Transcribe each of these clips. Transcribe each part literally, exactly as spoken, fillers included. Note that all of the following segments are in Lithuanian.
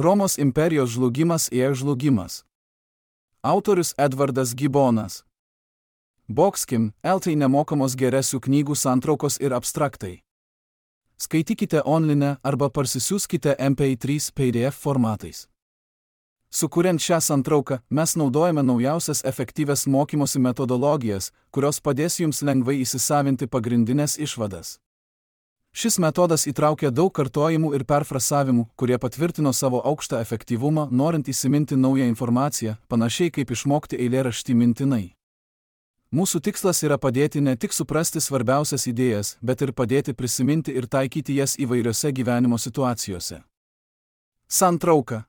Romos imperijos žlugimas ir žlugimas. Autorius Edvardas Gibonas. Bokskim, eltai nemokamos geresių knygų santraukos ir abstraktai. Skaitykite online arba parsisiųskite M P trys P D F formatais. Sukuriant šią santrauką, mes naudojame naujausias efektyvias mokymosi metodologijas, kurios padės jums lengvai įsisavinti pagrindinės išvadas. Šis metodas įtraukia daug kartojimų ir perfrasavimų, kurie patvirtino savo aukštą efektyvumą, norint įsiminti naują informaciją, panašiai kaip išmokti eilėraštį mintinai. Mūsų tikslas yra padėti ne tik suprasti svarbiausias idėjas, bet ir padėti prisiminti ir taikyti jas įvairiose gyvenimo situacijose. Santrauka.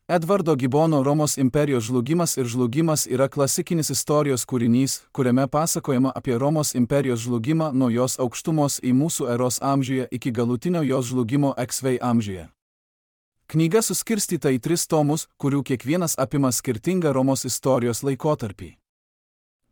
Edvardo Gibono Romos imperijos žlugimas ir žlugimas yra klasikinis istorijos kūrinys, kuriame pasakojama apie Romos imperijos žlugimą nuo jos aukštumos į mūsų eros amžiuje iki galutinio jos žlugimo X V amžiuje. Knyga suskirstyta į tris tomus, kurių kiekvienas apima skirtingą Romos istorijos laikotarpį.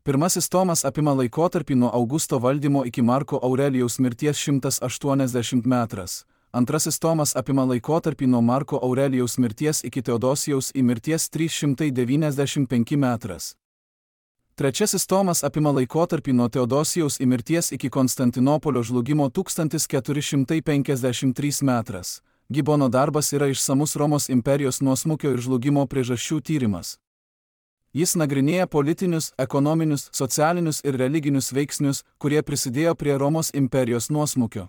Pirmasis tomas apima laikotarpį nuo Augusto valdymo iki Marko Aurelijaus mirties šimtas aštuoniasdešimt metras. Antrasis tomas apima laikotarpį nuo Marko Aurelijaus mirties iki Teodosijaus į mirties trys šimtai devyniasdešimt penki metras. Trečiasis tomas apima laikotarpį nuo Teodosijaus į mirties iki Konstantinopolio žlugimo tūkstantis keturi šimtai penkiasdešimt trys metras. Gibono darbas yra išsamus Romos imperijos nuosmukio ir žlugimo priežasčių tyrimas. Jis nagrinėja politinius, ekonominius, socialinius ir religinius veiksnius, kurie prisidėjo prie Romos imperijos nuosmukio.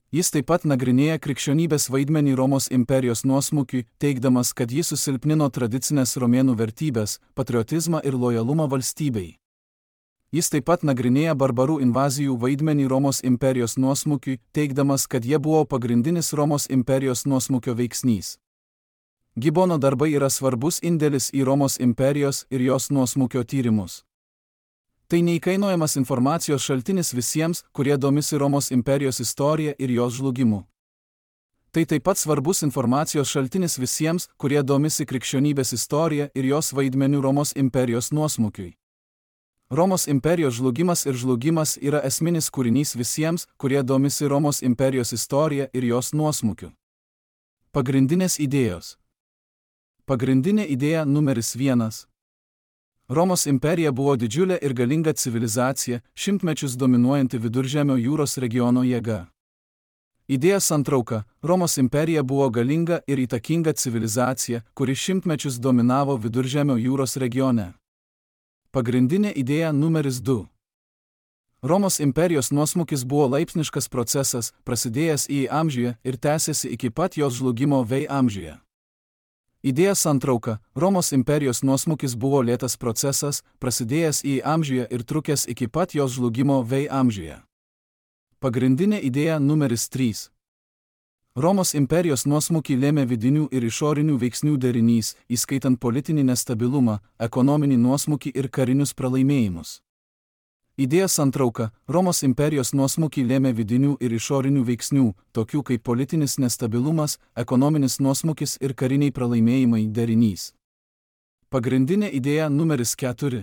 Jis taip pat nagrinėja krikščionybės vaidmenį Romos imperijos nuosmukiui, teigdamas, kad jis susilpnino tradicinės romėnų vertybės, patriotizmą ir lojalumą valstybei. Jis taip pat nagrinėja barbarų invazijų vaidmenį Romos imperijos nuosmukiui, teigdamas, kad jie buvo pagrindinis Romos imperijos nuosmukio veiksnys. Gibono darbai yra svarbus indėlis į Romos imperijos ir jos nuosmukio tyrimus. Tai neįkainojamas informacijos šaltinis visiems, kurie domisi Romos imperijos istorija ir jos žlugimu. Tai taip pat svarbus informacijos šaltinis visiems, kurie domisi krikščionybės istorija ir jos vaidmeniu Romos imperijos nuosmukiui. Romos imperijos žlugimas ir žlugimas yra esminis kūrinys visiems, kurie domisi Romos imperijos istorija ir jos nuosmukiu. Pagrindinės idėjos. Pagrindinė idėja numeris vienas. Romos imperija buvo didžiulė ir galinga civilizacija, šimtmečius dominuojanti Viduržemio jūros regiono jėga. Idėja santrauka. Romos imperija buvo galinga ir įtakinga civilizacija, kuri šimtmečius dominavo Viduržemio jūros regione. Pagrindinė idėja numeris du. Romos imperijos nuosmukis buvo laipsniškas procesas, prasidėjęs į amžiuje ir tęsėsi iki pat jos žlugimo V amžiuje. Idėja santrauka. Romos imperijos nuosmukis buvo lėtas procesas, prasidėjęs į amžiuje ir trukęs iki pat jos žlugimo V amžiuje. Pagrindinė idėja numeris trys. Romos imperijos nuosmukį lėmė vidinių ir išorinių veiksnių derinys, įskaitant politinį nestabilumą, ekonominį nuosmukį ir karinius pralaimėjimus. Idėja santrauka. Romos imperijos nuosmukį lėmė vidinių ir išorinių veiksnių, tokių kaip politinis nestabilumas, ekonominis nuosmukis ir kariniai pralaimėjimai derinys. Pagrindinė idėja numeris keturi.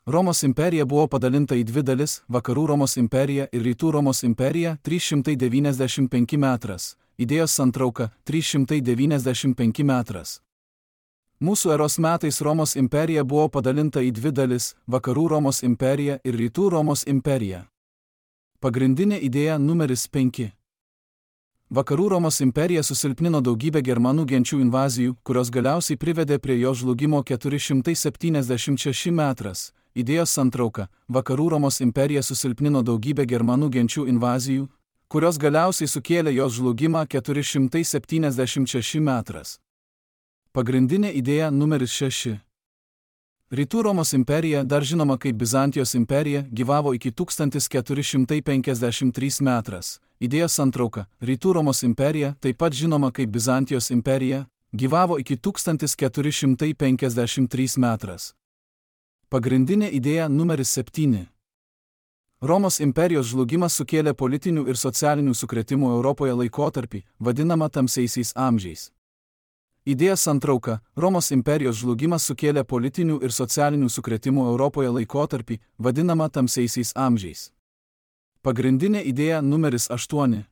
Romos imperija buvo padalinta į dvi dalis – Vakarų Romos imperija ir Rytų Romos imperija trys šimtai devyniasdešimt penki metras. Idėjos santrauka – trys šimtai devyniasdešimt penki metras. Mūsų eros metais Romos imperija buvo padalinta į dvi dalis – Vakarų Romos imperija ir Rytų Romos imperija. Pagrindinė idėja numeris penki. Vakarų Romos imperija susilpnino daugybę germanų genčių invazijų, kurios galiausiai privedė prie jo žlugimo keturi šimtai septyniasdešimt šeši metras. Idėjos santrauka. Vakarų Romos imperija susilpnino daugybę germanų genčių invazijų, kurios galiausiai sukėlė jos žlugimą keturi šimtai septyniasdešimt šeši metras. Pagrindinė idėja numeris šeši. Rytų Romos imperija, dar žinoma kaip Bizantijos imperija, gyvavo iki tūkstantis keturi šimtai penkiasdešimt trys metras. Idėjos santrauka. Rytų Romos imperija, taip pat žinoma kaip Bizantijos imperija, gyvavo iki tūkstantis keturi šimtai penkiasdešimt trys metras. Pagrindinė idėja numeris septyni. Romos imperijos žlugimas sukėlė politinių ir socialinių sukrėtimų Europoje laikotarpį, vadinamą tamsiaisiais amžiais. Idėja santrauka. Romos imperijos žlugimas sukėlė politinių ir socialinių sukrėtimų Europoje laikotarpį, vadinamą tamsiaisiais amžiais. Pagrindinė idėja numeris aštuoni.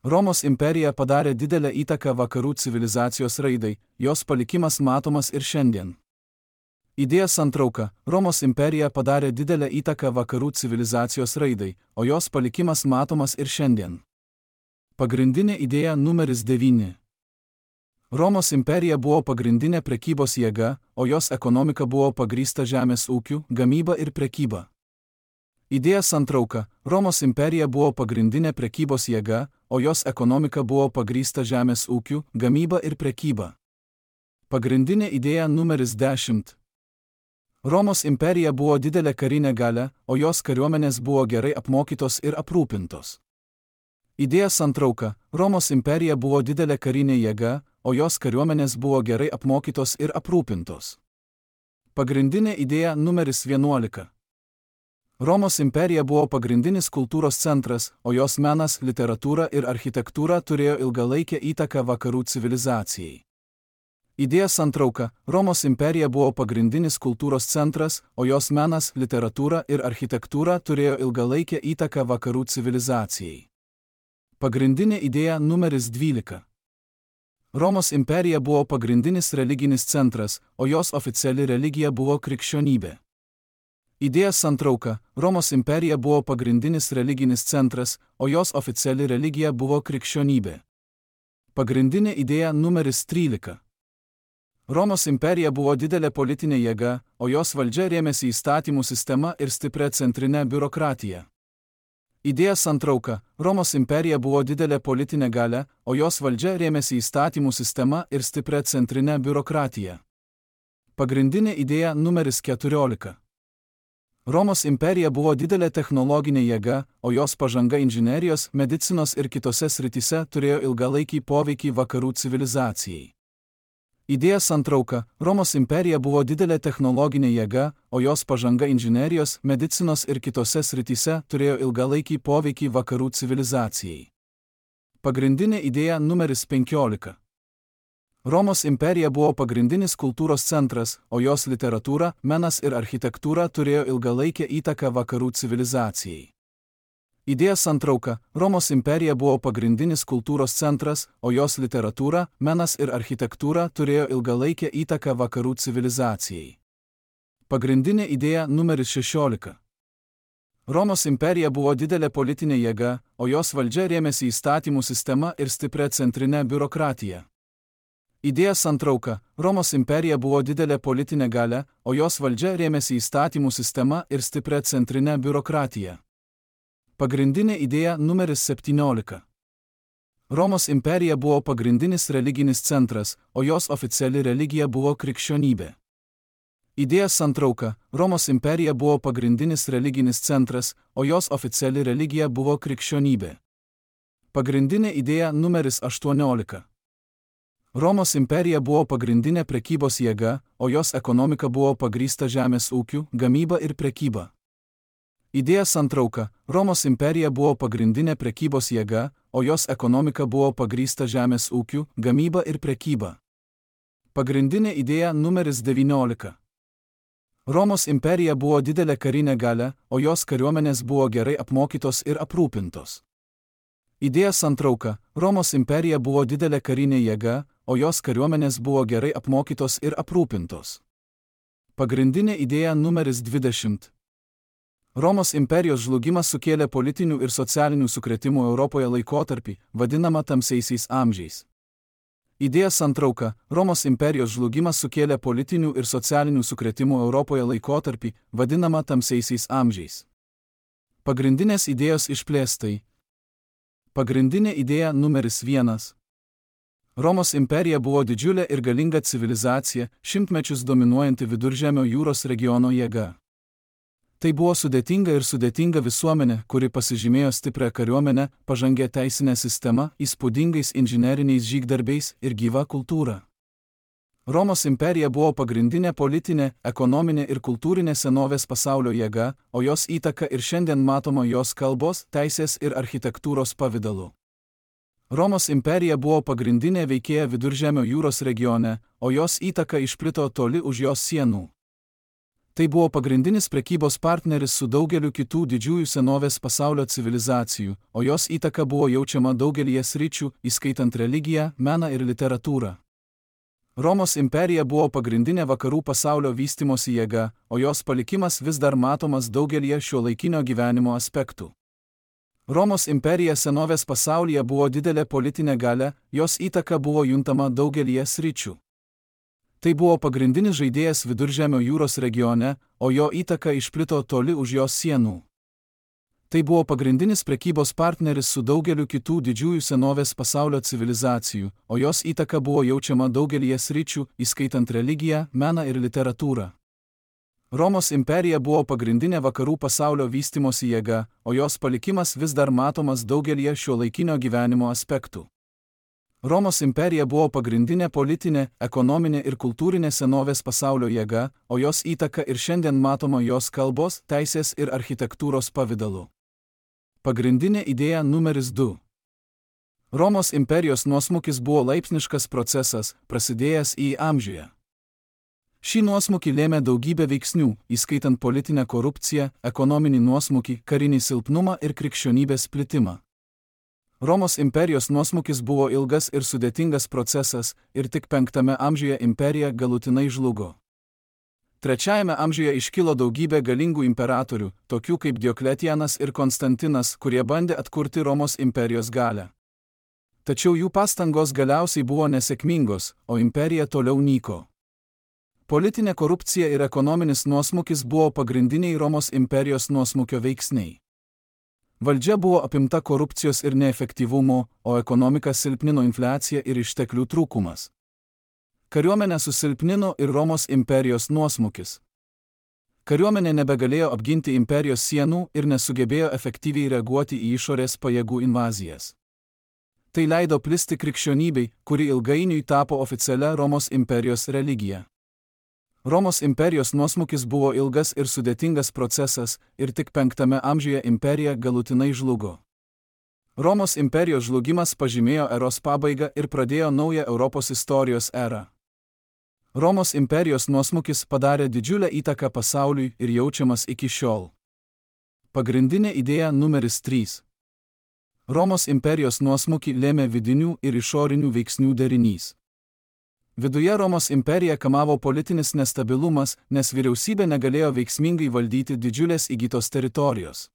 Romos imperija padarė didelę įtaką vakarų civilizacijos raidai, jos palikimas matomas ir šiandien. Idėja santrauka. Romos imperija padarė didelę įtaką vakarų civilizacijos raidai, o jos palikimas matomas ir šiandien. Pagrindinė idėja numeris devyni. Romos imperija buvo pagrindinė prekybos jėga, o jos ekonomika buvo pagrįsta žemės ūkiu, gamyba ir prekyba. Idėja santrauka. Romos imperija buvo pagrindinė prekybos jėga, o jos ekonomika buvo pagrįsta žemės ūkiu, gamyba ir prekyba. Pagrindinė idėja numeris dešimt. Romos imperija buvo didelė karinė galia, o jos kariuomenės buvo gerai apmokytos ir aprūpintos. Idėja santrauka. Romos imperija buvo didelė karinė jėga, o jos kariuomenės buvo gerai apmokytos ir aprūpintos. Pagrindinė idėja numeris vienuolika. Romos imperija buvo pagrindinis kultūros centras, o jos menas, literatūra ir architektūra turėjo ilgalaikę įtaką vakarų civilizacijai. Idėja santrauka. Romos imperija buvo pagrindinis kultūros centras, o jos menas, literatūra ir architektūra turėjo ilgalaikę įtaką vakarų civilizacijai. Pagrindinė idėja numeris dvylika. Romos imperija buvo pagrindinis religinis centras, o jos oficiali religija buvo krikščionybė. Idėja santrauka. Romos imperija buvo pagrindinis religinis centras, o jos oficiali religija buvo krikščionybė. Pagrindinė idėja numeris trylika. Romos imperija buvo didelė politinė jėga, o jos valdžia rėmėsi įstatymų sistema ir stipria centrinė biurokratija. Idėja santrauka. Romos imperija buvo didelė politinė galia, o jos valdžia rėmėsi įstatymų sistema ir stipria centrinė biurokratija. Pagrindinė idėja numeris keturiolika. Romos imperija buvo didelė technologinė jėga, o jos pažanga inžinerijos, medicinos ir kitose srityse turėjo ilgalaikį poveikį vakarų civilizacijai. Idėja santrauka. Romos imperija buvo didelė technologinė jėga, o jos pažanga inžinerijos, medicinos ir kitose srityse turėjo ilgalaikį poveikį vakarų civilizacijai. Pagrindinė idėja numeris penkiolika. Romos imperija buvo pagrindinis kultūros centras, o jos literatūra, menas ir architektūra turėjo ilgalaikę įtaką vakarų civilizacijai. Idėja santrauka. Romos imperija buvo pagrindinis kultūros centras, o jos literatūra, menas ir architektūra turėjo ilgalaikę įtaką vakarų civilizacijai. Pagrindinė idėja numeris šešiolika. Romos imperija buvo didelė politinė jėga, o jos valdžia rėmėsi įstatymų sistema ir stipria centrinė biurokratija. Idėja santrauka. Romos imperija buvo didelė politinė galia, o jos valdžia rėmėsi įstatymų sistema ir stipria centrinė biurokratija. Pagrindinė idėja numeris septyniolika. Romos imperija buvo pagrindinis religinis centras, o jos oficiali religija buvo krikščionybė. Idėja santrauka. Romos imperija buvo pagrindinis religinis centras, o jos oficiali religija buvo krikščionybė. Pagrindinė idėja numeris aštuoniolika. Romos imperija buvo pagrindinė prekybos jėga, o jos ekonomika buvo pagrįsta žemės ūkiu, gamyba ir prekyba. Idėja santrauka. Romos imperija buvo pagrindinė prekybos jėga, o jos ekonomika buvo pagrįsta žemės ūkiu, gamyba ir prekyba. Pagrindinė idėja numeris devyniolika. Romos imperija buvo didelė karinė galia, o jos kariuomenės buvo gerai apmokytos ir aprūpintos. Idėja santrauka. Romos imperija buvo didelė karinė jėga, o jos kariuomenės buvo gerai apmokytos ir aprūpintos. Pagrindinė idėja numeris dvidešimt. Romos imperijos žlugimas sukėlė politinių ir socialinių sukrėtimų Europoje laikotarpį, vadinamą tamsiaisiais amžiais. Idėja santrauka. Romos imperijos žlugimas sukėlė politinių ir socialinių sukrėtimų Europoje laikotarpį, vadinamą tamsiaisiais amžiais. Pagrindinės idėjos išplėstai. Pagrindinė idėja numeris vienas. Romos imperija buvo didžiulė ir galinga civilizacija, šimtmečius dominuojanti Viduržemio jūros regiono jėga. Tai buvo sudėtinga ir sudėtinga visuomenė, kuri pasižymėjo stiprią kariuomenę, pažangę teisinę sistemą, įspūdingais inžineriniais žygdarbiais ir gyva kultūra. Romos imperija buvo pagrindinė politinė, ekonominė ir kultūrinė senovės pasaulio jėga, o jos įtaka ir šiandien matoma jos kalbos, teisės ir architektūros pavidalu. Romos imperija buvo pagrindinė veikėja Viduržemio jūros regione, o jos įtaka išplito toli už jos sienų. Tai buvo pagrindinis prekybos partneris su daugeliu kitų didžiųjų senovės pasaulio civilizacijų, o jos įtaka buvo jaučiama daugelyje sričių, įskaitant religiją, meną ir literatūrą. Romos imperija buvo pagrindinė vakarų pasaulio vystimosi jėga, o jos palikimas vis dar matomas daugelyje šiuolaikinio gyvenimo aspektų. Romos imperija senovės pasaulyje buvo didelė politinė galia, jos įtaka buvo juntama daugelyje sričių. Tai buvo pagrindinis žaidėjas Viduržemio jūros regione, o jo įtaka išplito toli už jos sienų. Tai buvo pagrindinis prekybos partneris su daugeliu kitų didžiųjų senovės pasaulio civilizacijų, o jos įtaka buvo jaučiama daugelyje sričių, įskaitant religiją, meną ir literatūrą. Romos imperija buvo pagrindinė vakarų pasaulio vystimosi jėga, o jos palikimas vis dar matomas daugelyje šiuolaikinio gyvenimo aspektų. Romos imperija buvo pagrindinė politinė, ekonominė ir kultūrinė senovės pasaulio jėga, o jos įtaka ir šiandien matoma jos kalbos, teisės ir architektūros pavidalu. Pagrindinė idėja numeris du. Romos imperijos nuosmukis buvo laipsniškas procesas, prasidėjęs į amžiuje. Šį nuosmukį lėmė daugybė veiksnių, įskaitant politinę korupciją, ekonominį nuosmukį, karinį silpnumą ir krikščionybės plitimą. Romos imperijos nuosmukis buvo ilgas ir sudėtingas procesas, ir tik penktame amžiuje imperija galutinai žlugo. Trečiajame amžiuje iškilo daugybė galingų imperatorių, tokių kaip Diokletianas ir Konstantinas, kurie bandė atkurti Romos imperijos galią. Tačiau jų pastangos galiausiai buvo nesėkmingos, o imperija toliau nyko. Politinė korupcija ir ekonominis nuosmukis buvo pagrindiniai Romos imperijos nuosmukio veiksniai. Valdžia buvo apimta korupcijos ir neefektyvumo, o ekonomika silpnino infliacija ir išteklių trūkumas. Kariuomenę susilpnino ir Romos imperijos nuosmukis. Kariuomenė nebegalėjo apginti imperijos sienų ir nesugebėjo efektyviai reaguoti į išorės pajėgų invazijas. Tai leido plisti krikščionybei, kuri ilgainiui tapo oficialia Romos imperijos religija. Romos imperijos nuosmukis buvo ilgas ir sudėtingas procesas, ir tik penktame amžiuje imperija galutinai žlugo. Romos imperijos žlugimas pažymėjo eros pabaigą ir pradėjo naują Europos istorijos erą. Romos imperijos nuosmukis padarė didžiulę įtaką pasauliui ir jaučiamas iki šiol. Pagrindinė idėja numeris trys. Romos imperijos nuosmukį lėmė vidinių ir išorinių veiksnių derinys. Viduje Romos imperiją kamavo politinis nestabilumas, nes vyriausybė negalėjo veiksmingai valdyti didžiulės įgytos teritorijos.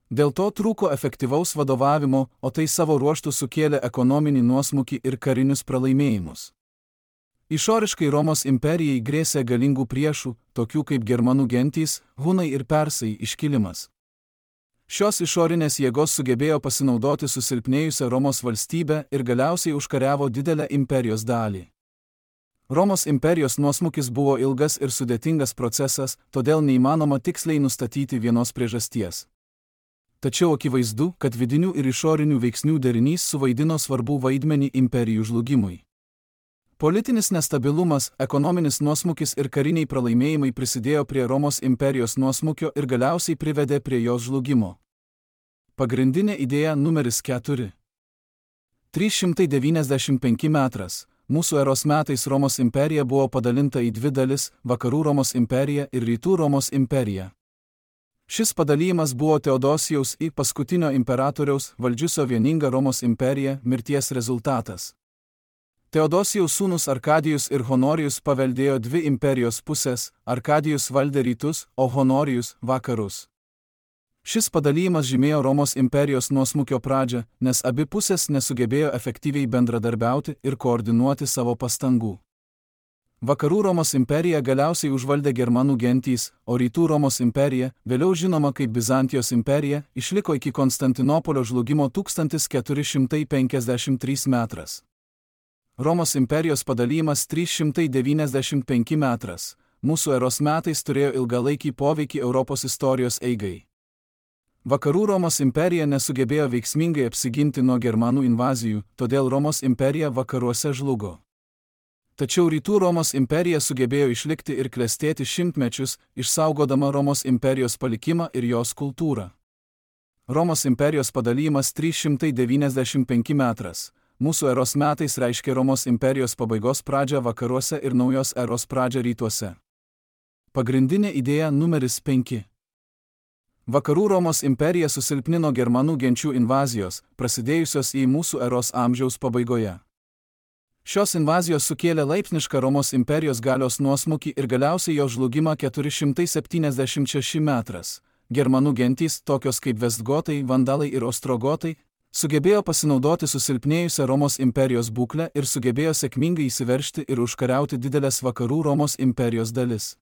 Dėl to trūko efektyvaus vadovavimo, o tai savo ruožtu sukėlė ekonominį nuosmukį ir karinius pralaimėjimus. Išoriškai Romos imperijai grėsė galingų priešų, tokių kaip germanų gentys, hunai ir persai iškilimas. Šios išorinės jėgos sugebėjo pasinaudoti susilpnėjusią Romos valstybę ir galiausiai užkariavo didelę imperijos dalį. Romos imperijos nuosmukis buvo ilgas ir sudėtingas procesas, todėl neįmanoma tiksliai nustatyti vienos priežasties. Tačiau akivaizdu, kad vidinių ir išorinių veiksnių derinys suvaidino svarbų vaidmenį imperijų žlugimui. Politinis nestabilumas, ekonominis nuosmukis ir kariniai pralaimėjimai prisidėjo prie Romos imperijos nuosmukio ir galiausiai privedė prie jos žlugimo. Pagrindinė idėja numeris keturi. trys šimtai devyniasdešimt penki metras. Mūsų eros metais Romos imperija buvo padalinta į dvi dalis – Vakarų Romos imperija ir Rytų Romos imperija. Šis padalymas buvo Teodosijaus I paskutinio imperatoriaus, valdžiusio vieningą Romos imperiją, mirties rezultatas. Teodosijaus sūnus Arkadijus ir Honorijus paveldėjo dvi imperijos pusės, Arkadijus valdė rytus, o Honorijus – vakarus. Šis padalymas žymėjo Romos imperijos nuosmukio pradžią, nes abi pusės nesugebėjo efektyviai bendradarbiauti ir koordinuoti savo pastangų. Vakarų Romos imperija galiausiai užvaldė germanų gentys, o Rytų Romos imperija, vėliau žinoma kaip Bizantijos imperija, išliko iki Konstantinopolio žlugimo tūkstantis keturi šimtai penkiasdešimt trys metras. Romos imperijos padalymas trys šimtai devyniasdešimt penki metras. Mūsų eros metais turėjo ilgalaikį poveikį Europos istorijos eigai. Vakarų Romos imperija nesugebėjo veiksmingai apsiginti nuo germanų invazijų, todėl Romos imperija vakaruose žlugo. Tačiau Rytų Romos imperija sugebėjo išlikti ir klestėti šimtmečius, išsaugodama Romos imperijos palikimą ir jos kultūrą. Romos imperijos padalymas trys šimtai devyniasdešimt penki metras. Mūsų eros metais reiškia Romos imperijos pabaigos pradžią vakaruose ir naujos eros pradžią rytuose. Pagrindinė idėja numeris penki. Vakarų Romos imperija susilpnino germanų genčių invazijos, prasidėjusios į mūsų eros amžiaus pabaigoje. Šios invazijos sukėlė laipsnišką Romos imperijos galios nuosmukį ir galiausiai jo žlugimą keturi šimtai septyniasdešimt šeši metrais. Germanų gentys, tokios kaip Vestgotai, Vandalai ir Ostrogotai, sugebėjo pasinaudoti susilpnėjusią Romos imperijos būklę ir sugebėjo sėkmingai įsiveržti ir užkariauti didelės vakarų Romos imperijos dalis.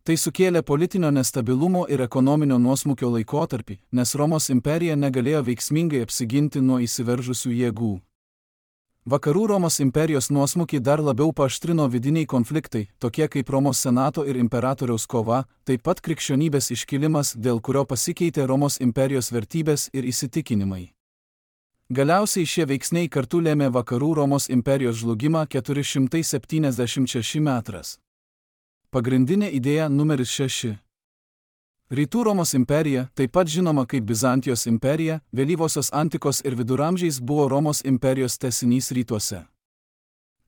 Tai sukėlė politinio nestabilumo ir ekonominio nuosmukio laikotarpį, nes Romos imperija negalėjo veiksmingai apsiginti nuo įsiveržusių jėgų. Vakarų Romos imperijos nuosmukį dar labiau paaštrino vidiniai konfliktai, tokie kaip Romos senato ir imperatoriaus kova, taip pat krikščionybės iškilimas, dėl kurio pasikeitė Romos imperijos vertybės ir įsitikinimai. Galiausiai šie veiksniai kartu lėmė Vakarų Romos imperijos žlugimą keturi šimtai septyniasdešimt šeši metrais. Pagrindinė idėja numeris šeši. Rytų Romos imperija, taip pat žinoma kaip Bizantijos imperija, vėlyvosios antikos ir viduramžiais buvo Romos imperijos tęsinys rytuose.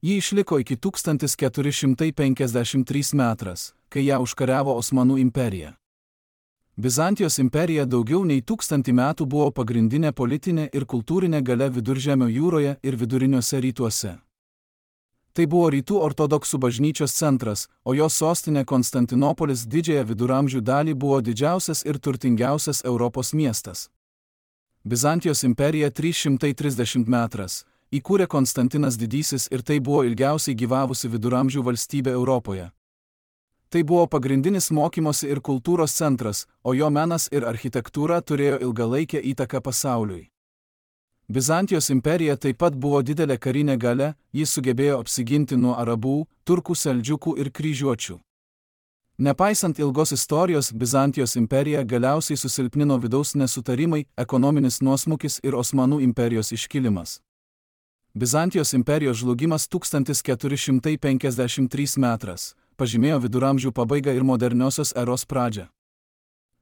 Ji išliko iki tūkstantis keturi šimtai penkiasdešimt trys metrais, kai ją užkariavo Osmanų imperija. Bizantijos imperija daugiau nei tūkstantį metų buvo pagrindinė politinė ir kultūrinė galia Viduržemio jūroje ir viduriniuose rytuose. Tai buvo rytų ortodoksų bažnyčios centras, o jos sostinė Konstantinopolis didžiąją viduramžių dalį buvo didžiausias ir turtingiausias Europos miestas. Bizantijos imperija trys šimtai trisdešimt metrais įkūrė Konstantinas Didysis ir tai buvo ilgiausiai gyvavusi viduramžių valstybė Europoje. Tai buvo pagrindinis mokymosi ir kultūros centras, o jo menas ir architektūra turėjo ilgalaikę įtaką pasauliui. Bizantijos imperija taip pat buvo didelė karinė galia, jis sugebėjo apsiginti nuo arabų, turkų, seldžiukų ir kryžiuočių. Nepaisant ilgos istorijos, Bizantijos imperija galiausiai susilpnino vidaus nesutarimai, ekonominis nuosmukis ir Osmanų imperijos iškilimas. Bizantijos imperijos žlugimas tūkstantis keturi šimtai penkiasdešimt trys metrais pažymėjo viduramžių pabaigą ir moderniosios eros pradžią.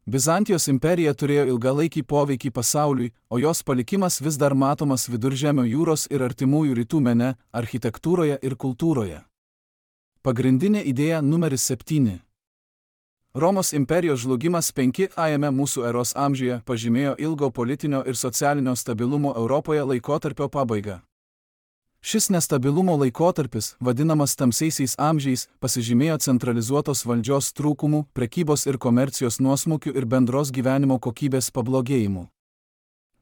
Bizantijos imperija turėjo ilgalaikį poveikį pasauliui, o jos palikimas vis dar matomas Viduržemio jūros ir artimųjų rytų mene, architektūroje ir kultūroje. Pagrindinė idėja numeris septyni. Romos imperijos žlugimas penkiajame mūsų eros amžiuje pažymėjo ilgo politinio ir socialinio stabilumo Europoje laikotarpio pabaigą. Šis nestabilumo laikotarpis, vadinamas tamsiaisiais amžiais, pasižymėjo centralizuotos valdžios trūkumų, prekybos ir komercijos nuosmukių ir bendros gyvenimo kokybės pablogėjimu.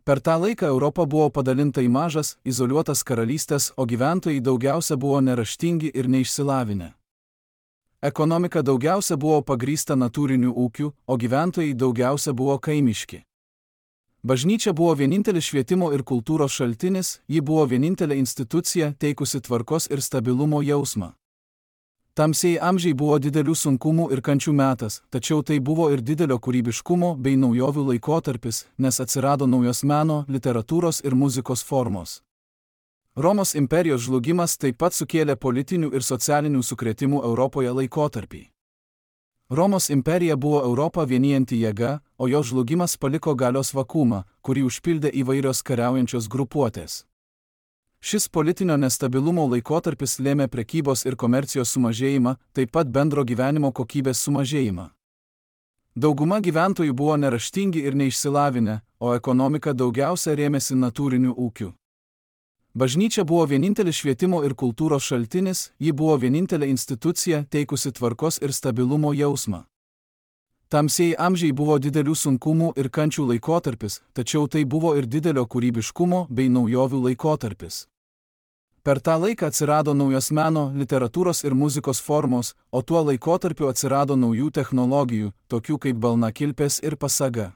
Per tą laiką Europa buvo padalinta į mažas, izoliuotas karalystės, o gyventojai daugiausia buvo neraštingi ir neišsilavinę. Ekonomika daugiausia buvo pagrįsta natūriniu ūkiu, o gyventojai daugiausia buvo kaimiški. Bažnyčia buvo vienintelis švietimo ir kultūros šaltinis, ji buvo vienintelė institucija teikusi tvarkos ir stabilumo jausmą. Tamsieji amžiai buvo didelių sunkumų ir kančių metas, tačiau tai buvo ir didelio kūrybiškumo bei naujovių laikotarpis, nes atsirado naujos meno, literatūros ir muzikos formos. Romos imperijos žlugimas taip pat sukėlė politinių ir socialinių sukrėtimų Europoje laikotarpį. Romos imperija buvo Europą vienijanti jėga, o jo žlugimas paliko galios vakuumą, kurį užpildė įvairios kariaujančios grupuotės. Šis politinio nestabilumo laikotarpis lėmė prekybos ir komercijos sumažėjimą, taip pat bendro gyvenimo kokybės sumažėjimą. Dauguma gyventojų buvo neraštingi ir neišsilavinę, o ekonomika daugiausia rėmėsi natūriniu ūkiu. Bažnyčia buvo vienintelis švietimo ir kultūros šaltinis, ji buvo vienintelė institucija teikusi tvarkos ir stabilumo jausmą. Tamsieji amžiai buvo didelių sunkumų ir kančių laikotarpis, tačiau tai buvo ir didelio kūrybiškumo bei naujovių laikotarpis. Per tą laiką atsirado naujos meno, literatūros ir muzikos formos, o tuo laikotarpiu atsirado naujų technologijų, tokių kaip balnakilpės ir pasaga.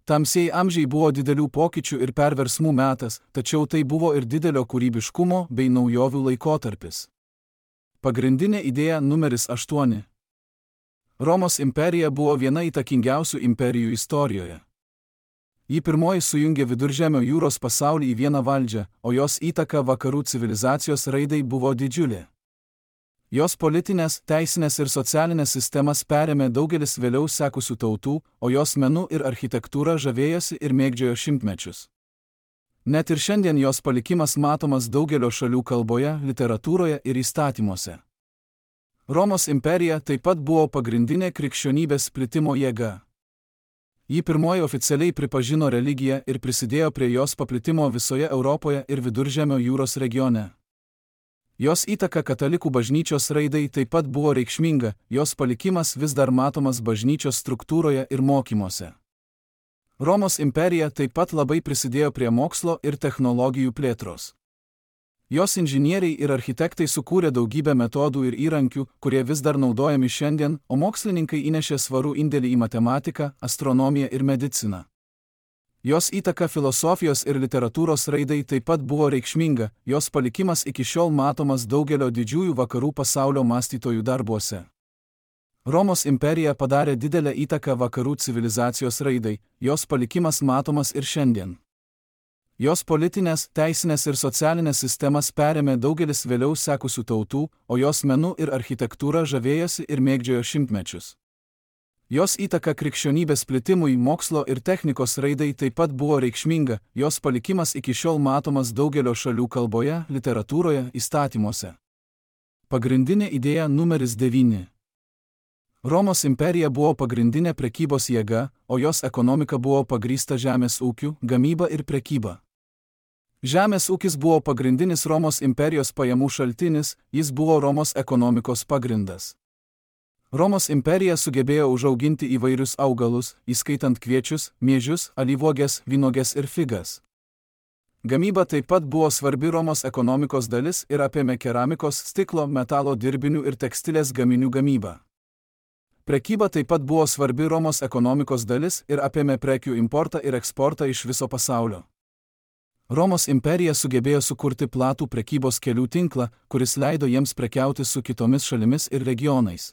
Tamsieji amžiai buvo didelių pokyčių ir perversmų metas, tačiau tai buvo ir didelio kūrybiškumo bei naujovių laikotarpis. Pagrindinė idėja numeris aštuoni. Romos imperija buvo viena įtakingiausių imperijų istorijoje. Ji pirmoji sujungė Viduržemio jūros pasaulį į vieną valdžią, o jos įtaka vakarų civilizacijos raidai buvo didžiulė. Jos politinės, teisinės ir socialinės sistemas perėmė daugelis vėliau sekusių tautų, o jos menu ir architektūra žavėjosi ir mėgdžiojo šimtmečius. Net ir šiandien jos palikimas matomas daugelio šalių kalboje, literatūroje ir įstatymuose. Romos imperija taip pat buvo pagrindinė krikščionybės plitimo jėga. Ji pirmoji oficialiai pripažino religiją ir prisidėjo prie jos paplitimo visoje Europoje ir Viduržemio jūros regione. Jos įtaka katalikų bažnyčios raidai taip pat buvo reikšminga, jos palikimas vis dar matomas bažnyčios struktūroje ir mokymuose. Romos imperija taip pat labai prisidėjo prie mokslo ir technologijų plėtros. Jos inžinieriai ir architektai sukūrė daugybę metodų ir įrankių, kurie vis dar naudojami šiandien, o mokslininkai įnešė svarų indėlį į matematiką, astronomiją ir mediciną. Jos įtaka filosofijos ir literatūros raidai taip pat buvo reikšminga, jos palikimas iki šiol matomas daugelio didžiųjų vakarų pasaulio mąstytojų darbuose. Romos imperija padarė didelę įtaką vakarų civilizacijos raidai, jos palikimas matomas ir šiandien. Jos politinės, teisinės ir socialinės sistemas perėmė daugelis vėliau sekusių tautų, o jos menu ir architektūra žavėjosi ir mėgdžiojo šimtmečius. Jos įtaka krikščionybės plitimui, mokslo ir technikos raidai taip pat buvo reikšminga, jos palikimas iki šiol matomas daugelio šalių kalboje, literatūroje, įstatymuose. Pagrindinė idėja numeris devyni. Romos imperija buvo pagrindinė prekybos jėga, o jos ekonomika buvo pagrįsta žemės ūkiu, gamyba ir prekyba. Žemės ūkis buvo pagrindinis Romos imperijos pajamų šaltinis, jis buvo Romos ekonomikos pagrindas. Romos imperija sugebėjo užauginti įvairius augalus, įskaitant kviečius, miežius, alyvuoges, vynuoges ir figas. Gamyba taip pat buvo svarbi Romos ekonomikos dalis ir apėmė keramikos, stiklo, metalo dirbinių ir tekstilės gaminių gamybą. Prekyba taip pat buvo svarbi Romos ekonomikos dalis ir apėmė prekių importą ir eksportą iš viso pasaulio. Romos imperija sugebėjo sukurti platų prekybos kelių tinklą, kuris leido jiems prekiauti su kitomis šalimis ir regionais.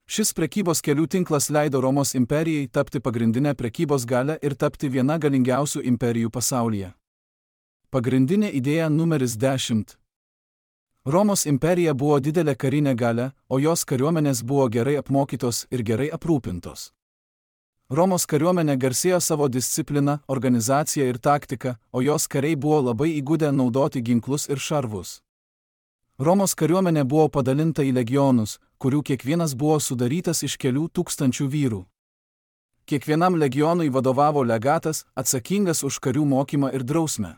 Šis prekybos kelių tinklas leido Romos imperijai tapti pagrindinę prekybos galę ir tapti viena galingiausių imperijų pasaulyje. Pagrindinė idėja numeris dešimt. Romos imperija buvo didelė karinė galia, o jos kariuomenės buvo gerai apmokytos ir gerai aprūpintos. Romos kariuomenė garsėjo savo discipliną, organizaciją ir taktiką, o jos kariai buvo labai įgudę naudoti ginklus ir šarvus. Romos kariuomenė buvo padalinta į legionus, kurių kiekvienas buvo sudarytas iš kelių tūkstančių vyrų. Kiekvienam legionui vadovavo legatas, atsakingas už karių mokymą ir drausmę.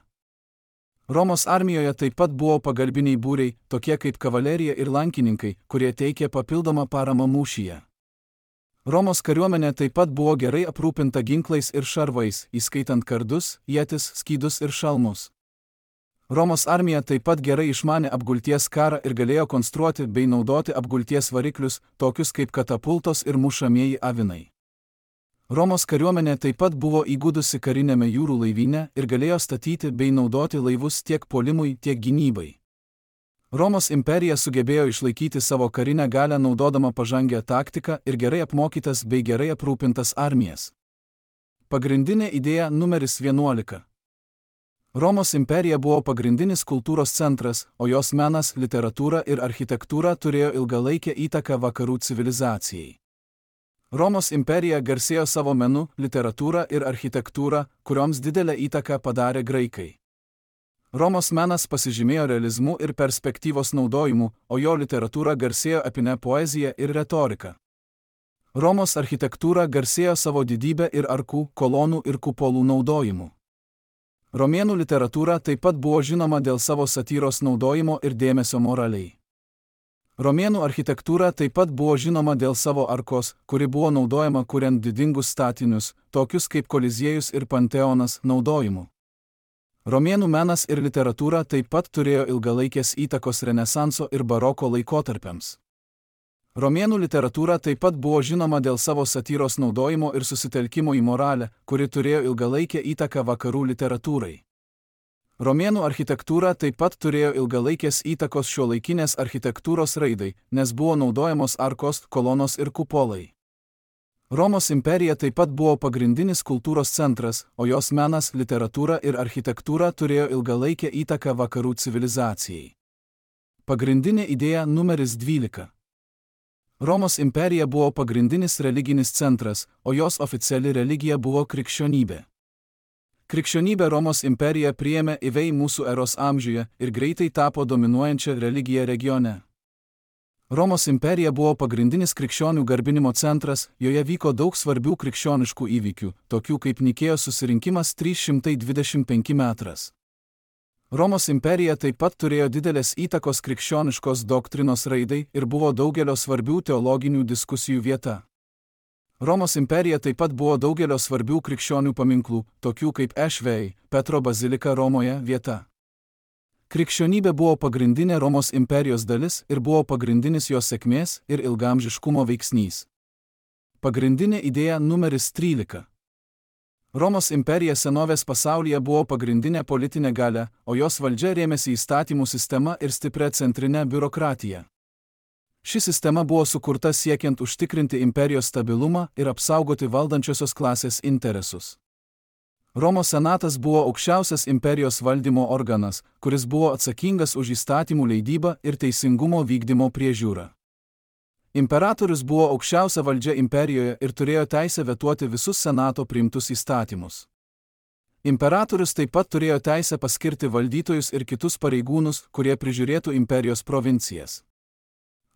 Romos armijoje taip pat buvo pagalbiniai būriai, tokie kaip kavalerija ir lankininkai, kurie teikė papildomą paramą mūšyje. Romos kariuomenė taip pat buvo gerai aprūpinta ginklais ir šarvais, įskaitant kardus, ietis, skydus ir šalmus. Romos armija taip pat gerai išmanė apgulties karą ir galėjo konstruoti bei naudoti apgulties variklius, tokius kaip katapultos ir mušamieji avinai. Romos kariuomenė taip pat buvo įgudusi karinėme jūrų laivyne ir galėjo statyti bei naudoti laivus tiek puolimui, tiek gynybai. Romos imperija sugebėjo išlaikyti savo karinę galią naudodama pažangę taktiką ir gerai apmokytas bei gerai aprūpintas armijas. Pagrindinė idėja numeris vienuolika. Romos imperija buvo pagrindinis kultūros centras, o jos menas, literatūra ir architektūra turėjo ilgalaikę įtaką vakarų civilizacijai. Romos imperija garsėjo savo menu, literatūra ir architektūra, kurioms didelę įtaką padarė graikai. Romos menas pasižymėjo realizmu ir perspektyvos naudojimu, o jo literatūra garsėjo epine poezija ir retorika. Romos architektūra garsėjo savo didybę ir arkų, kolonų ir kupolų naudojimu. Romėnų literatūra taip pat buvo žinoma dėl savo satyros naudojimo ir dėmesio moraliai. Romėnų architektūra taip pat buvo žinoma dėl savo arkos, kuri buvo naudojama kuriant didingus statinius, tokius kaip Koliziejus ir Panteonas, naudojimu. Romėnų menas ir literatūra taip pat turėjo ilgalaikės įtakos Renesanso ir baroko laikotarpiams. Romėnų literatūra taip pat buvo žinoma dėl savo satyros naudojimo ir susitelkimo į moralę, kuri turėjo ilgalaikę įtaką vakarų literatūrai. Romėnų architektūra taip pat turėjo ilgalaikės įtakos šiuolaikinės architektūros raidai, nes buvo naudojamos arkos, kolonos ir kupolai. Romos imperija taip pat buvo pagrindinis kultūros centras, o jos menas, literatūra ir architektūra turėjo ilgalaikę įtaką vakarų civilizacijai. Pagrindinė idėja numeris dvylika. Romos imperija buvo pagrindinis religinis centras, o jos oficiali religija buvo krikščionybė. Krikščionybė Romos imperiją priėmė įvei mūsų eros amžiuje ir greitai tapo dominuojančia religija regione. Romos imperija buvo pagrindinis krikščionių garbinimo centras, joje vyko daug svarbių krikščioniškų įvykių, tokių kaip Nikėjos susirinkimas trys šimtai dvidešimt penki metras. Romos imperija taip pat turėjo didelės įtakos krikščioniškos doktrinos raidai ir buvo daugelio svarbių teologinių diskusijų vieta. Romos imperija taip pat buvo daugelio svarbių krikščionių paminklų, tokių kaip Ešvei, Petro bazilika Romoje vieta. Krikščionybė buvo pagrindinė Romos imperijos dalis ir buvo pagrindinis jos sėkmės ir ilgaamžiškumo veiksnys. Pagrindinė idėja numeris trylika. Romos imperija senovės pasaulyje buvo pagrindinė politinė galia, o jos valdžia rėmėsi įstatymų sistema ir stipria centrinė biurokratija. Ši sistema buvo sukurta siekiant užtikrinti imperijos stabilumą ir apsaugoti valdančiosios klasės interesus. Romos senatas buvo aukščiausias imperijos valdymo organas, kuris buvo atsakingas už įstatymų leidybą ir teisingumo vykdymo priežiūrą. Imperatorius buvo aukščiausia valdžia imperijoje ir turėjo teisę vetuoti visus senato priimtus įstatymus. Imperatorius taip pat turėjo teisę paskirti valdytojus ir kitus pareigūnus, kurie prižiūrėtų imperijos provincijas.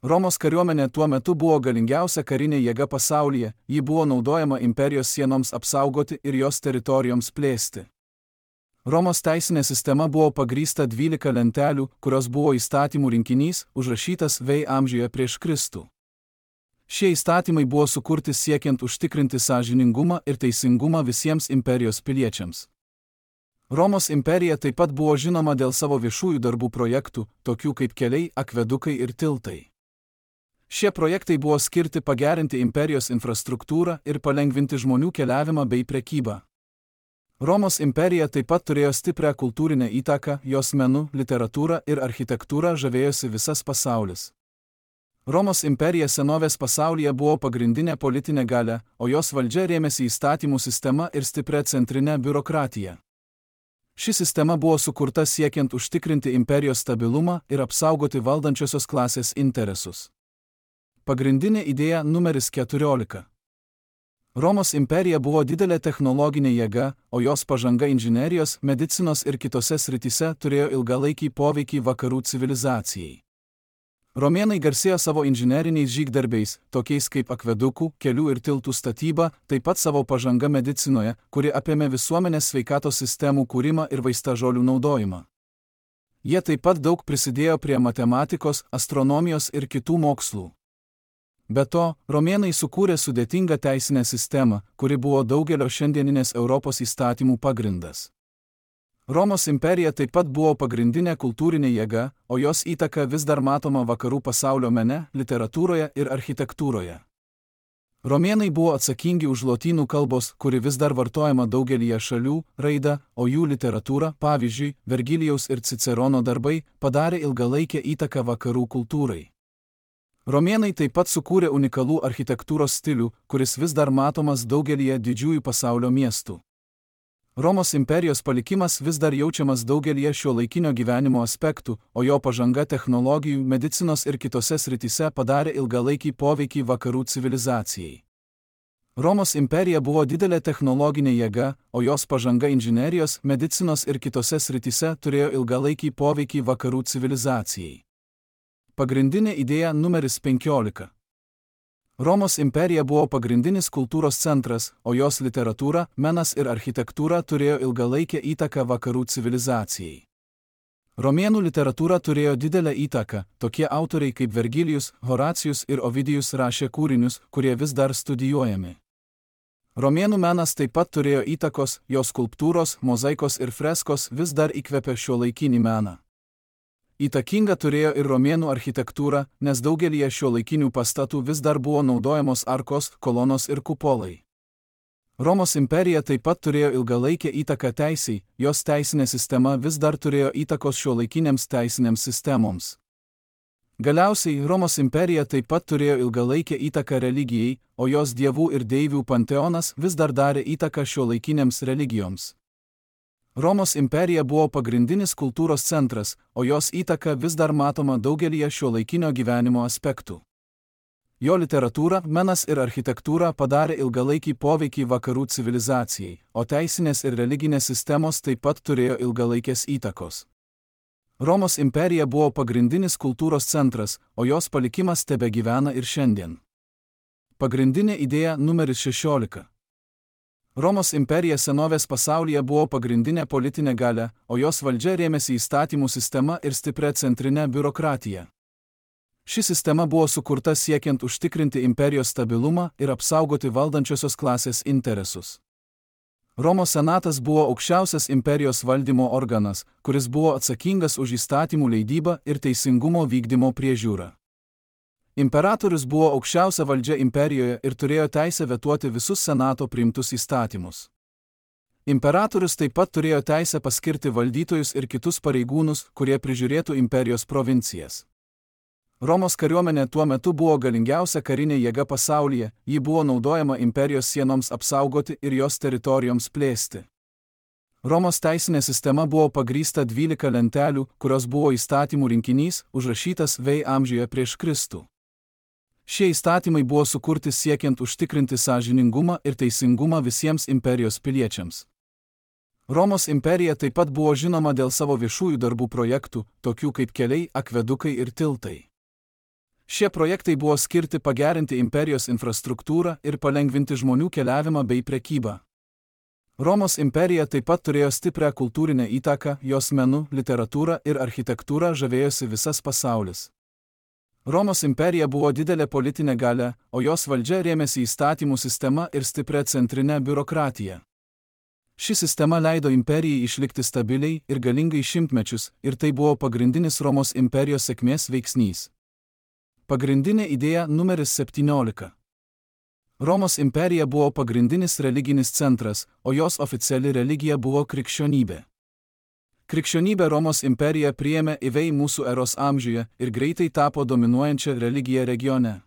Romos kariuomenė tuo metu buvo galingiausia karinė jėga pasaulyje, ji buvo naudojama imperijos sienoms apsaugoti ir jos teritorijoms plėsti. Romos teisinė sistema buvo pagrįsta dvylika lentelių, kurios buvo įstatymų rinkinys, užrašytas V amžiuje prieš Kristų. Šie įstatymai buvo sukurti siekiant užtikrinti sąžiningumą ir teisingumą visiems imperijos piliečiams. Romos imperija taip pat buvo žinoma dėl savo viešųjų darbų projektų, tokių kaip keliai, akvedukai ir tiltai. Šie projektai buvo skirti pagerinti imperijos infrastruktūrą ir palengvinti žmonių keliavimą bei prekybą. Romos imperija taip pat turėjo stiprią kultūrinę įtaką, jos menu, literatūra ir architektūra žavėjosi visas pasaulis. Romos imperija senovės pasaulyje buvo pagrindinė politinė galia, o jos valdžia rėmėsi įstatymų sistema ir stipria centrinė biurokratija. Ši sistema buvo sukurta siekiant užtikrinti imperijos stabilumą ir apsaugoti valdančiosios klasės interesus. Pagrindinė idėja numeris keturiolika. Romos imperija buvo didelė technologinė jėga, o jos pažanga inžinerijos, medicinos ir kitose srityse turėjo ilgalaikį poveikį vakarų civilizacijai. Romėnai garsėjo savo inžineriniais žygdarbiais, tokiais kaip akvedukų, kelių ir tiltų statyba, taip pat savo pažanga medicinoje, kuri apėmė visuomenės sveikatos sistemų kūrimą ir vaistažolių naudojimą. Jie taip pat daug prisidėjo prie matematikos, astronomijos ir kitų mokslų. Be to, romėnai sukūrė sudėtingą teisinę sistemą, kuri buvo daugelio šiandieninės Europos įstatymų pagrindas. Romos imperija taip pat buvo pagrindinė kultūrinė jėga, o jos įtaka vis dar matoma vakarų pasaulio mene, literatūroje ir architektūroje. Romėnai buvo atsakingi už lotynų kalbos, kuri vis dar vartojama daugelyje šalių, raidą, o jų literatūra, pavyzdžiui, Vergilijaus ir Cicerono darbai, padarė ilgalaikę įtaką vakarų kultūrai. Romėnai taip pat sukūrė unikalų architektūros stilių, kuris vis dar matomas daugelyje didžiųjų pasaulio miestų. Romos imperijos palikimas vis dar jaučiamas daugelyje šiuolaikinio gyvenimo aspektų, o jo pažanga technologijų, medicinos ir kitose srityse padarė ilgalaikį poveikį vakarų civilizacijai. Romos imperija buvo didelė technologinė jėga, o jos pažanga inžinerijos, medicinos ir kitose srityse turėjo ilgalaikį poveikį vakarų civilizacijai. Pagrindinė idėja numeris penkiolika. Romos imperija buvo pagrindinis kultūros centras, o jos literatūra, menas ir architektūra turėjo ilgalaikę įtaką vakarų civilizacijai. Romėnų literatūra turėjo didelę įtaką, tokie autoriai kaip Vergilijus, Horacijus ir Ovidijus rašė kūrinius, kurie vis dar studijuojami. Romėnų menas taip pat turėjo įtakos, jos skulptūros, mozaikos ir freskos vis dar įkvepia šiuolaikinį meną. Įtakinga turėjo ir romėnų architektūra, nes daugelyje šiuolaikinių pastatų vis dar buvo naudojamos arkos, kolonos ir kupolai. Romos imperija taip pat turėjo ilgalaikę įtaką teisei, jos teisinė sistema vis dar turėjo įtakos šiuolaikinėms teisinėms sistemoms. Galiausiai Romos imperija taip pat turėjo ilgalaikę įtaką religijai, o jos dievų ir deivių panteonas vis dar darė įtaką šiuolaikinėms religijoms. Romos imperija buvo pagrindinis kultūros centras, o jos įtaka vis dar matoma daugelyje šiuolaikinio gyvenimo aspektų. Jo literatūra, menas ir architektūra padarė ilgalaikį poveikį vakarų civilizacijai, o teisinės ir religinės sistemos taip pat turėjo ilgalaikės įtakos. Romos imperija buvo pagrindinis kultūros centras, o jos palikimas tebegyvena ir šiandien. Pagrindinė idėja numeris šešiolika. Romos imperija senovės pasaulyje buvo pagrindinė politinė galia, o jos valdžia rėmėsi įstatymų sistema ir stipria centrinė biurokratija. Ši sistema buvo sukurta siekiant užtikrinti imperijos stabilumą ir apsaugoti valdančiosios klasės interesus. Romos senatas buvo aukščiausias imperijos valdymo organas, kuris buvo atsakingas už įstatymų leidybą ir teisingumo vykdymo priežiūrą. Imperatorius buvo aukščiausia valdžia imperijoje ir turėjo teisę vetuoti visus senato priimtus įstatymus. Imperatorius taip pat turėjo teisę paskirti valdytojus ir kitus pareigūnus, kurie prižiūrėtų imperijos provincijas. Romos kariuomenė tuo metu buvo galingiausia karinė jėga pasaulyje, ji buvo naudojama imperijos sienoms apsaugoti ir jos teritorijoms plėsti. Romos teisinė sistema buvo pagrįsta dvylika lentelių, kurios buvo įstatymų rinkinys, užrašytas V amžiuje prieš Kristų. Šie įstatymai buvo sukurti siekiant užtikrinti sąžiningumą ir teisingumą visiems imperijos piliečiams. Romos imperija taip pat buvo žinoma dėl savo viešųjų darbų projektų, tokių kaip keliai, akvedukai ir tiltai. Šie projektai buvo skirti pagerinti imperijos infrastruktūrą ir palengvinti žmonių keliavimą bei prekybą. Romos imperija taip pat turėjo stiprią kultūrinę įtaką, jos menu, literatūra ir architektūra žavėjosi visas pasaulis. Romos imperija buvo didelė politinė galia, o jos valdžia rėmėsi įstatymų sistema ir stipria centrinė biurokratija. Ši sistema leido imperijai išlikti stabiliai ir galingai šimtmečius, ir tai buvo pagrindinis Romos imperijos sėkmės veiksnys. Pagrindinė idėja numeris septyniolika. Romos imperija buvo pagrindinis religinis centras, o jos oficiali religija buvo krikščionybė. Krikščionybė Romos imperija priėmė įvei mūsų eros amžiuje ir greitai tapo dominuojančia religija regione.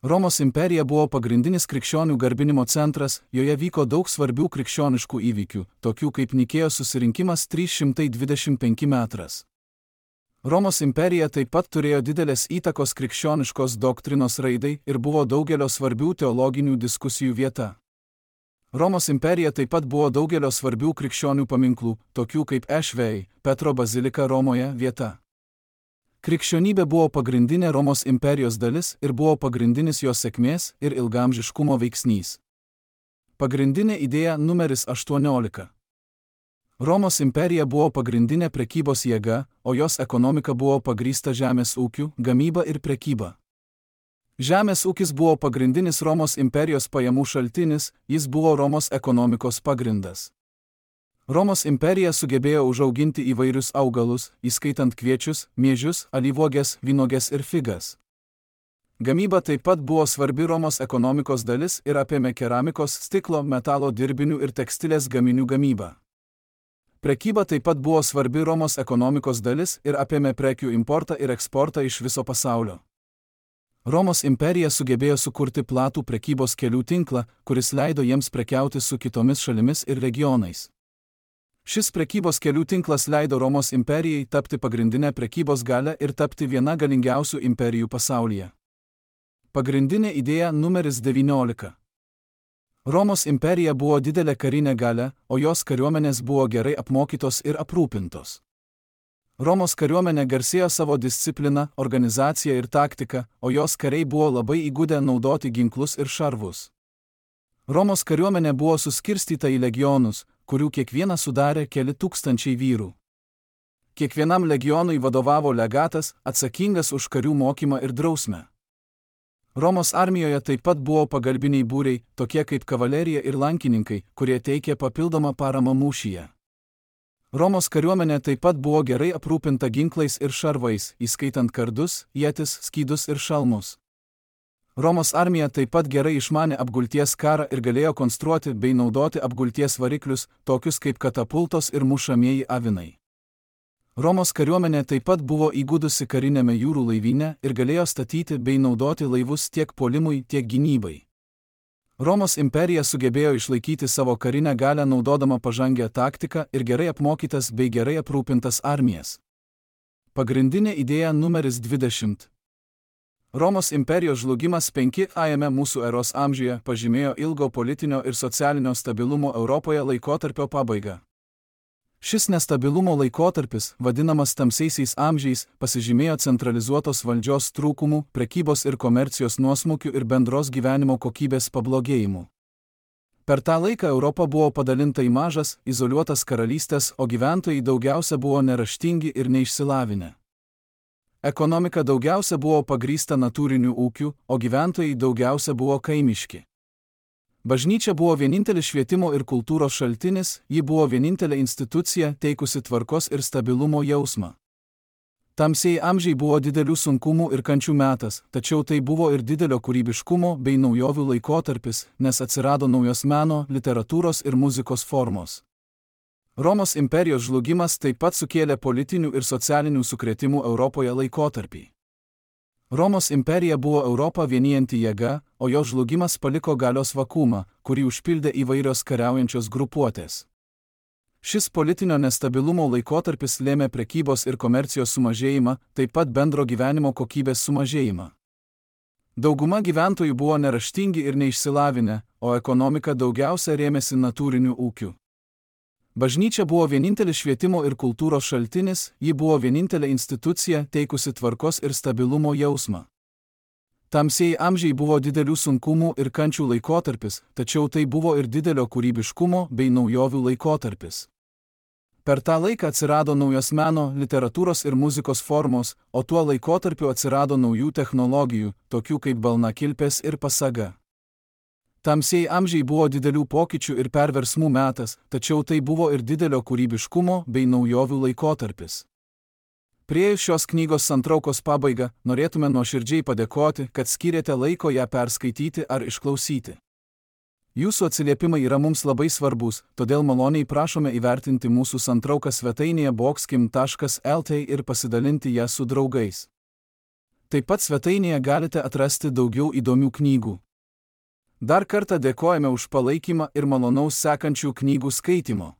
Romos imperija buvo pagrindinis krikščionių garbinimo centras, joje vyko daug svarbių krikščioniškų įvykių, tokių kaip Nikėjos susirinkimas trys šimtai dvidešimt penki metras. Romos imperija taip pat turėjo didelės įtakos krikščioniškos doktrinos raidai ir buvo daugelio svarbių teologinių diskusijų vieta. Romos imperija taip pat buvo daugelio svarbių krikščionių paminklų, tokių kaip Ešvei, Petro bazilika Romoje vieta. Krikščionybė buvo pagrindinė Romos imperijos dalis ir buvo pagrindinis jos sėkmės ir ilgaamžiškumo veiksnys. Pagrindinė idėja numeris aštuoniolika. Romos imperija buvo pagrindinė prekybos jėga, o jos ekonomika buvo pagrįsta žemės ūkiu, gamyba ir prekyba. Žemės ūkis buvo pagrindinis Romos imperijos pajamų šaltinis, jis buvo Romos ekonomikos pagrindas. Romos imperija sugebėjo užauginti įvairius augalus, įskaitant kviečius, miežius, alyvuoges, vynuoges ir figas. Gamyba taip pat buvo svarbi Romos ekonomikos dalis ir apėmė keramikos, stiklo, metalo dirbinių ir tekstilės gaminių gamybą. Prekyba taip pat buvo svarbi Romos ekonomikos dalis ir apėmė prekių importą ir eksportą iš viso pasaulio. Romos imperija sugebėjo sukurti platų prekybos kelių tinklą, kuris leido jiems prekiauti su kitomis šalimis ir regionais. Šis prekybos kelių tinklas leido Romos imperijai tapti pagrindinę prekybos galią ir tapti viena galingiausių imperijų pasaulyje. Pagrindinė idėja numeris devyniolika. Romos imperija buvo didelė karinė galia, o jos kariuomenės buvo gerai apmokytos ir aprūpintos. Romos kariuomenė garsėjo savo discipliną, organizaciją ir taktiką, o jos kariai buvo labai įgudę naudoti ginklus ir šarvus. Romos kariuomenė buvo suskirstyta į legionus, kurių kiekvieną sudarė keli tūkstančiai vyrų. Kiekvienam legionui vadovavo legatas, atsakingas už karių mokymą ir drausmę. Romos armijoje taip pat buvo pagalbiniai būriai, tokie kaip kavalerija ir lankininkai, kurie teikė papildomą paramą mūšyje. Romos kariuomenė taip pat buvo gerai aprūpinta ginklais ir šarvais, įskaitant kardus, ietis, skydus ir šalmus. Romos armija taip pat gerai išmanė apgulties karą ir galėjo konstruoti bei naudoti apgulties variklius, tokius kaip katapultos ir mušamieji avinai. Romos kariuomenė taip pat buvo įgudusi karinėme jūrų laivyne ir galėjo statyti bei naudoti laivus tiek puolimui, tiek gynybai. Romos imperija sugebėjo išlaikyti savo karinę galią naudodama pažangę taktiką ir gerai apmokytas bei gerai aprūpintas armijas. Pagrindinė idėja numeris dvidešimt. Romos imperijos žlugimas penkiajame mūsų eros amžiuje pažymėjo ilgo politinio ir socialinio stabilumo Europoje laikotarpio pabaigą. Šis nestabilumo laikotarpis, vadinamas tamsiaisiais amžiais, pasižymėjo centralizuotos valdžios trūkumų, prekybos ir komercijos nuosmukių ir bendros gyvenimo kokybės pablogėjimų. Per tą laiką Europa buvo padalinta į mažas, izoliuotas karalystės, o gyventojai daugiausia buvo neraštingi ir neišsilavinę. Ekonomika daugiausia buvo pagrįsta natūriniu ūkiu, o gyventojai daugiausia buvo kaimiški. Bažnyčia buvo vienintelis švietimo ir kultūros šaltinis, ji buvo vienintelė institucija teikusi tvarkos ir stabilumo jausmą. Tamsieji amžiai buvo didelių sunkumų ir kančių metas, tačiau tai buvo ir didelio kūrybiškumo bei naujovių laikotarpis, nes atsirado naujos meno, literatūros ir muzikos formos. Romos imperijos žlugimas taip pat sukėlė politinių ir socialinių sukrėtimų Europoje laikotarpį. Romos imperija buvo Europą vienijanti jėga, o jo žlugimas paliko galios vakuumą, kurį užpildė įvairios kariaujančios grupuotės. Šis politinio nestabilumo laikotarpis lėmė prekybos ir komercijos sumažėjimą, taip pat bendro gyvenimo kokybės sumažėjimą. Dauguma gyventojų buvo neraštingi ir neišsilavinę, o ekonomika daugiausia rėmėsi natūriniu ūkiu. Bažnyčia buvo vienintelis švietimo ir kultūros šaltinis, ji buvo vienintelė institucija teikusi tvarkos ir stabilumo jausmą. Tamsieji amžiai buvo didelių sunkumų ir kančių laikotarpis, tačiau tai buvo ir didelio kūrybiškumo bei naujovių laikotarpis. Per tą laiką atsirado naujos meno, literatūros ir muzikos formos, o tuo laikotarpiu atsirado naujų technologijų, tokių kaip balnakilpės ir pasaga. Tamsieji amžiai buvo didelių pokyčių ir perversmų metas, tačiau tai buvo ir didelio kūrybiškumo bei naujovių laikotarpis. Priėjus šios knygos santraukos pabaigą, norėtume nuoširdžiai padėkoti, kad skyrėte laiko ją perskaityti ar išklausyti. Jūsų atsiliepimai yra mums labai svarbus, todėl maloniai prašome įvertinti mūsų santrauką svetainėje bokskim taškas el tė ir pasidalinti ją su draugais. Taip pat svetainėje galite atrasti daugiau įdomių knygų. Dar kartą dėkojame už palaikymą ir malonaus sekančių knygų skaitimo.